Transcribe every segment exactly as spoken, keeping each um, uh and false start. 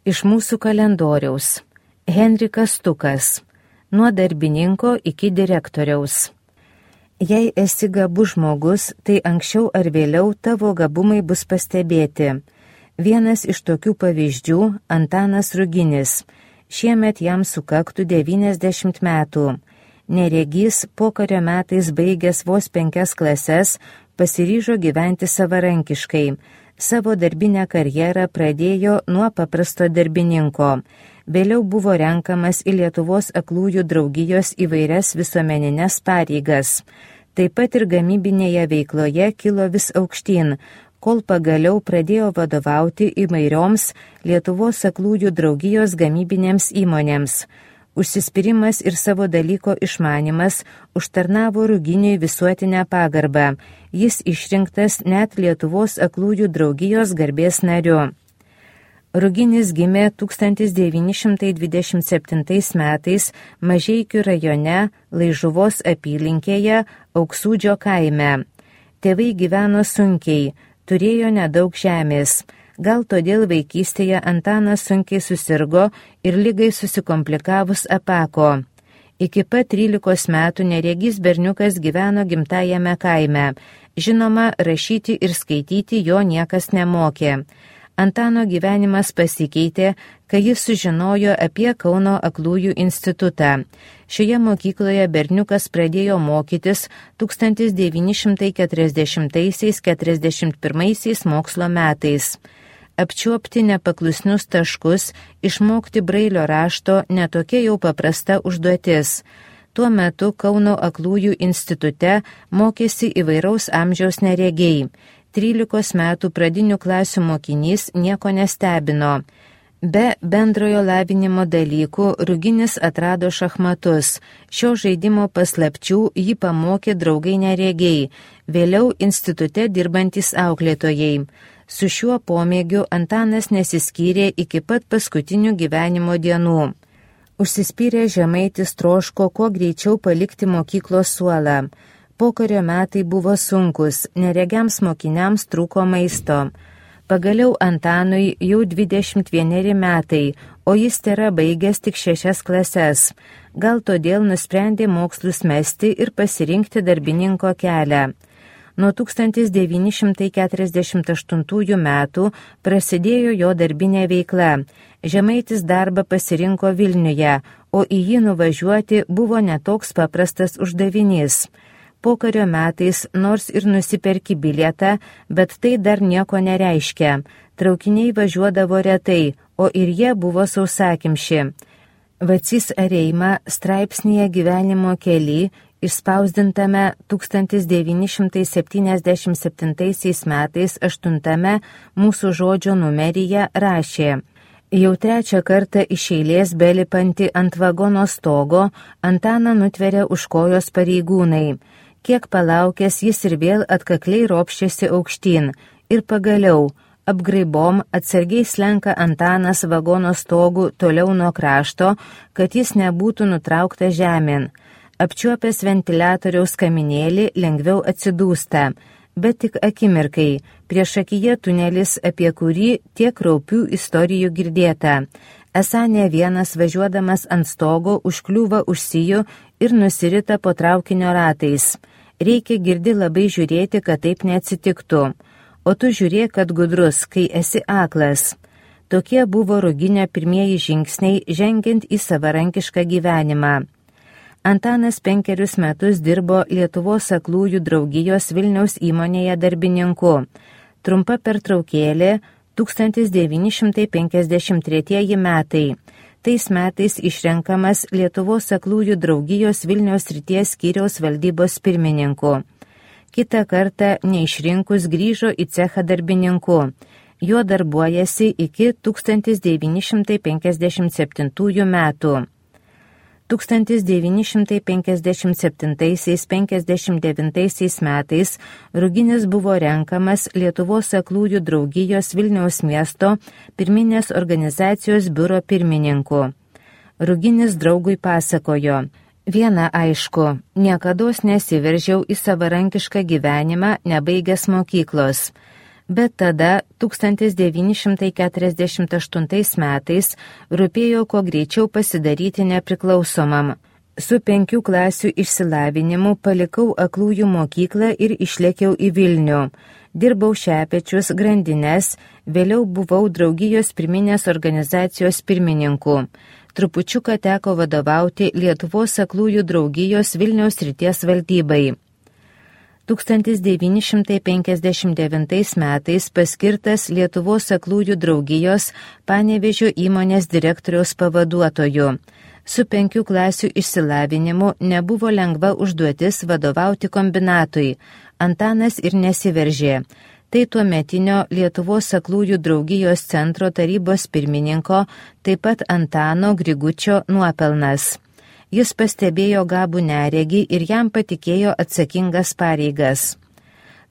Iš mūsų kalendoriaus. Henrikas Stukas. Nuo darbininko iki direktoriaus. Jei esi gabus žmogus, tai anksčiau ar vėliau tavo gabumai bus pastebėti. Vienas iš tokių pavyzdžių – Antanas Ruginis. Šiemet jam sukaktų devyniasdešimt metų. Neregys, pokario metais baigęs vos penkias klases, pasiryžo gyventi savarankiškai. Savo darbinę karjerą pradėjo nuo paprasto darbininko. Vėliau buvo renkamas į Lietuvos aklųjų draugijos įvairias visuomeninės pareigas. Taip pat ir gamybinėje veikloje kilo vis aukštyn, kol pagaliau pradėjo vadovauti įvairioms Lietuvos aklųjų draugijos gamybinėms įmonėms. Užsispyrimas ir savo dalyko išmanimas užtarnavo Ruginiui visuotinę pagarbą. Jis išrinktas net Lietuvos aklųjų draugijos garbės nariu. Ruginis gimė tūkstantis devyni šimtai dvidešimt septintais metais Mažeikių rajone Laižuvos apylinkėje Auksūdžio kaime. Tėvai gyveno sunkiai, turėjo nedaug žemės. Gal todėl vaikystėje Antanas sunkiai susirgo ir ligai susikomplikavus apako. Iki pat trylikos metų neregys berniukas gyveno gimtajame kaime. Žinoma, rašyti ir skaityti jo niekas nemokė. Antano gyvenimas pasikeitė, kai jis sužinojo apie Kauno aklųjų institutą. Šioje mokykloje berniukas pradėjo mokytis tūkstantis devyni šimtai keturiasdešimtaisiais - keturiasdešimt pirmaisiais mokslo metais. Apčiuopti nepaklusnius taškus, išmokti brailio rašto netokia jau paprasta užduotis. Tuo metu Kauno aklųjų institute mokėsi įvairaus amžiaus neregiai. trylikos metų pradinių klasių mokinys nieko nestebino. Be bendrojo lavinimo dalykų Ruginis atrado šachmatus. Šio žaidimo paslapčių jį pamokė draugai neregiai, vėliau institute dirbantis auklėtojai. Su šiuo pomėgiu Antanas nesiskyrė iki pat paskutinių gyvenimo dienų. Užsispyrė žemaitis troško kuo greičiau palikti mokyklos suolą. Pokario metai buvo sunkus, neregiams mokiniams trūko maisto. Pagaliau Antanui jau dvidešimt vieneri metai, o jis tėra baigęs tik šešias klases. Gal todėl nusprendė mokslus mesti ir pasirinkti darbininko kelią. Nuo tūkstantis devyni šimtai keturiasdešimt aštuntųjų metų prasidėjo jo darbinė veikla. Žemaitis darbą pasirinko Vilniuje, o į jį nuvažiuoti buvo netoks paprastas uždavinys. Pokario metais nors ir nusiperki bilietą, bet tai dar nieko nereiškia. Traukiniai važiuodavo retai, o ir jie buvo sausakimši. Vacys Areima straipsnėje Gyvenimo kely, išspausdintame tūkstantis devyni šimtai septyniasdešimt septintaisiais metais aštuntame mūsų žodžio numeryje rašė: Jau trečią kartą iš eilės belipanti ant vagono stogo, Antaną nutveria už kojos pareigūnai. Kiek palaukęs jis ir vėl atkakliai ropščiasi aukštyn. Ir pagaliau, apgraibom atsargiai slenka Antanas vagono stogų toliau nuo krašto, kad jis nebūtų nutrauktas žemėn. Apčiuopęs ventiliatoriaus kaminėlį lengviau atsidūsta, bet tik akimirkai, prieš akiją tunelis, apie kurį tiek kraupių istorijų girdėta. Esą ne vienas važiuodamas ant stogo užkliūva už sijų ir nusirita po traukinio ratais. Reikia girdi labai žiūrėti, kad taip neatsitiktų. O tu žiūrėk, kad gudrus, kai esi aklas. Tokie buvo Ruginio pirmieji žingsniai žengiant į savarankišką gyvenimą. Antanas penkerius metus dirbo Lietuvos aklųjų draugijos Vilniaus įmonėje darbininku. Trumpa pertraukėlė tūkstantis devyni šimtai penkiasdešimt tretieji metai. Tais metais išrenkamas Lietuvos aklųjų draugijos Vilniaus srities skyriaus valdybos pirmininku. Kitą kartą neišrinkus grįžo į cechą darbininku. Juo darbuojasi iki tūkstantis devyni šimtai penkiasdešimt septintųjų metų. tūkstantis devyni šimtai penkiasdešimt septintaisiais - penkiasdešimt devintaisiais metais Ruginis buvo renkamas Lietuvos aklųjų draugijos Vilniaus miesto pirminės organizacijos biuro pirmininku. Ruginis draugui pasakojo: Viena aišku, niekados nesiveržiau į savarankišką gyvenimą nebaigęs mokyklos. Bet tada tūkstantis devyni šimtai keturiasdešimt aštuntais metais rūpėjo kuo greičiau pasidaryti nepriklausomam. Su penkių klasių išsilavinimu palikau aklųjų mokyklą ir išlėkiau į Vilnių. Dirbau Šepečius, grandines, vėliau buvau draugijos pirminės organizacijos pirmininku. Trupučiuką teko vadovauti Lietuvos aklųjų draugijos Vilniaus srities valdybai. tūkstantis devyni šimtai penkiasdešimt devintais metais paskirtas Lietuvos aklųjų draugijos Panevėžio įmonės direktoriaus pavaduotoju. Su penkių klasių išsilavinimu nebuvo lengva užduotis vadovauti kombinatui. Antanas ir nesiveržė. Tai tuometinio Lietuvos aklųjų draugijos centro tarybos pirmininko, taip pat Antano Grigučio nuopelnas. Jis pastebėjo gabų neregį ir jam patikėjo atsakingas pareigas.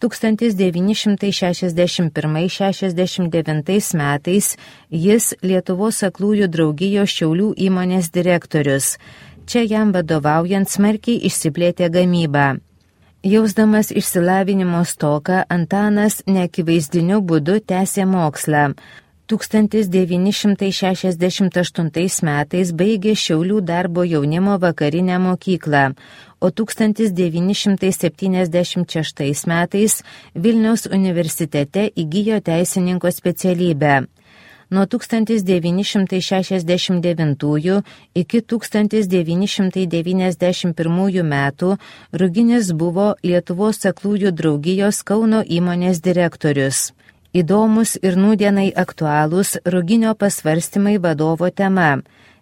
tūkstantis devyni šimtai šešiasdešimt pirmais šešiasdešimt devintais metais jis Lietuvos aklųjų draugijos Šiaulių įmonės direktorius. Čia jam vadovaujant smarkiai išsiplėtė gamyba. Jausdamas išsilavinimo stoką, Antanas neakivaizdiniu būdu tęsė mokslą. tūkstantis devyni šimtai šešiasdešimt aštuntais metais baigė Šiaulių darbo jaunimo vakarinę mokyklą, o tūkstantis devyni šimtai septyniasdešimt šeštais metais Vilniaus universitete įgijo teisininko specialybę. Nuo tūkstantis devyni šimtai šešiasdešimt devintųjų iki tūkstantis devyni šimtai devyniasdešimt pirmųjų metų Ruginis buvo Lietuvos aklųjų draugijos Kauno įmonės direktorius. Įdomus ir nūdienai aktualūs Ruginio pasvarstymai vadovo tema.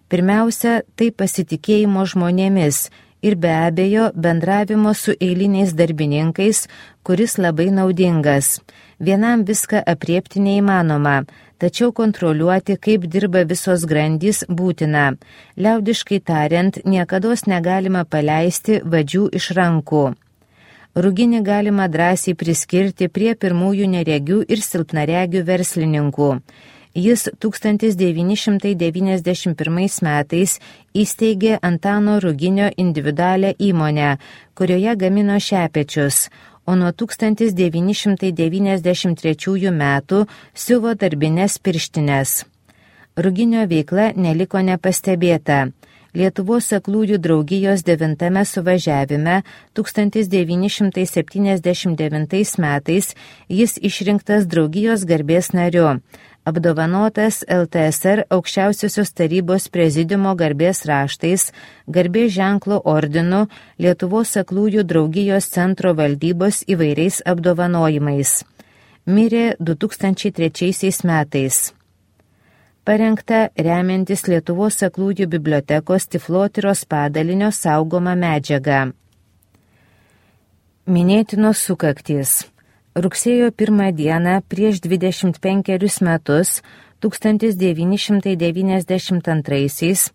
Pirmiausia, tai pasitikėjimo žmonėmis ir be abejo bendravimo su eiliniais darbininkais, kuris labai naudingas. Vienam viską apriepti neįmanoma, tačiau kontroliuoti, kaip dirba visos grandys, būtina. Liaudiškai tariant, niekados negalima paleisti vadžių iš rankų. Ruginį galima drąsiai priskirti prie pirmųjų neregių ir silpnaregių verslininkų. Jis tūkstantis devyni šimtai devyniasdešimt pirmais metais įsteigė Antano Ruginio individualią įmonę, kurioje gamino šepečius, o nuo tūkstantis devyni šimtai devyniasdešimt trečiųjų metų siuvo darbines pirštines. Ruginio veikla neliko nepastebėta. Lietuvos aklųjų draugijos devintame suvažiavime tūkstantis devyni šimtai septyniasdešimt devintais metais jis išrinktas draugijos garbės nariu, apdovanotas L T S R aukščiausiosios tarybos prezidiumo garbės raštais, garbės ženklo ordinu, Lietuvos aklųjų draugijos centro valdybos įvairiais apdovanojimais. Mirė du tūkstančiai trečiaisiais metais. Parengta remiantis Lietuvos aklųjų bibliotekos Tiflotyros padalinio saugoma medžiaga. Minėtinos sukaktys. Rugsėjo pirmą dieną prieš dvidešimt penkerius metus, tūkstantis devyni šimtai devyniasdešimt antraisiais,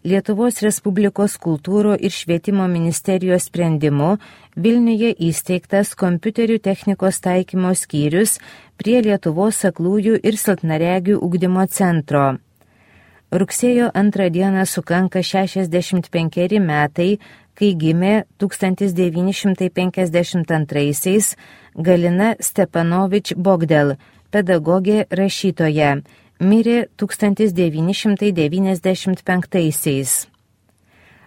Lietuvos Respublikos kultūro ir švietimo ministerijos sprendimu Vilniuje įsteigtas kompiuterių technikos taikymo skyrius prie Lietuvos aklųjų ir silpnaregių ugdymo centro. Rugsėjo antrą dieną sukanka šešiasdešimt penkeri metai, kai gimė tūkstantis devyni šimtai penkiasdešimt antraisiais Galina Stepanovič Bogdel, pedagogė rašytoja. Mirė tūkstantis devyni šimtai devyniasdešimt penktaisiais.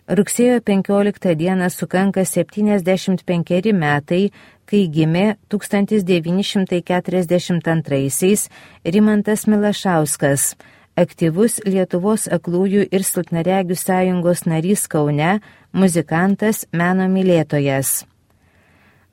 Rugsėjo penkioliktą dieną sukanka septyniasdešimt penkeri metai, kai gimė tūkstantis devyni šimtai keturiasdešimt antraisiais Rimantas Milašauskas, aktyvus Lietuvos aklųjų ir silpnaregių sąjungos narys Kaune, muzikantas, meno mylėtojas.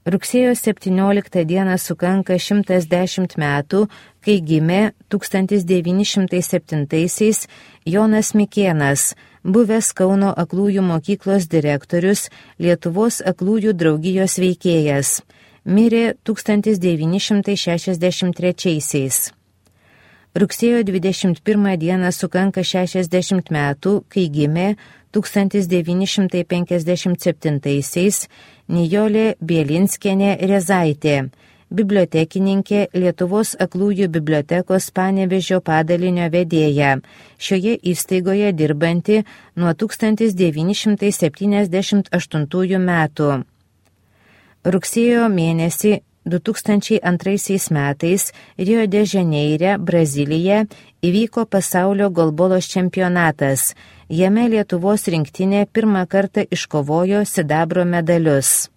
Rugsėjo septynioliktą dieną sukanka šimtas dešimt metų, kai gimė tūkstantis devyni šimtai septintaisiais Jonas Mikėnas, buvęs Kauno aklųjų mokyklos direktorius, Lietuvos aklųjų draugijos veikėjas. Mirė tūkstantis devyni šimtai šešiasdešimt trečiaisiais. Rugsėjo dvidešimt pirmą dieną sukanka šešiasdešimt metų, kai gimė tūkstantis devyni šimtai penkiasdešimt septintaisiais Nijolė Bielinskienė Rezaitė, bibliotekininkė, Lietuvos aklųjų bibliotekos Panevėžio padalinio vedėja, šioje įstaigoje dirbanti nuo tūkstantis devyni šimtai septyniasdešimt aštuntųjų metų. Rugsėjo mėnesį du tūkstančiai antraisiais metais Rio de Žaneire, Brazilija, įvyko pasaulio golbolos čempionatas. Jame Lietuvos rinktinė pirmą kartą iškovojo sidabro medalius.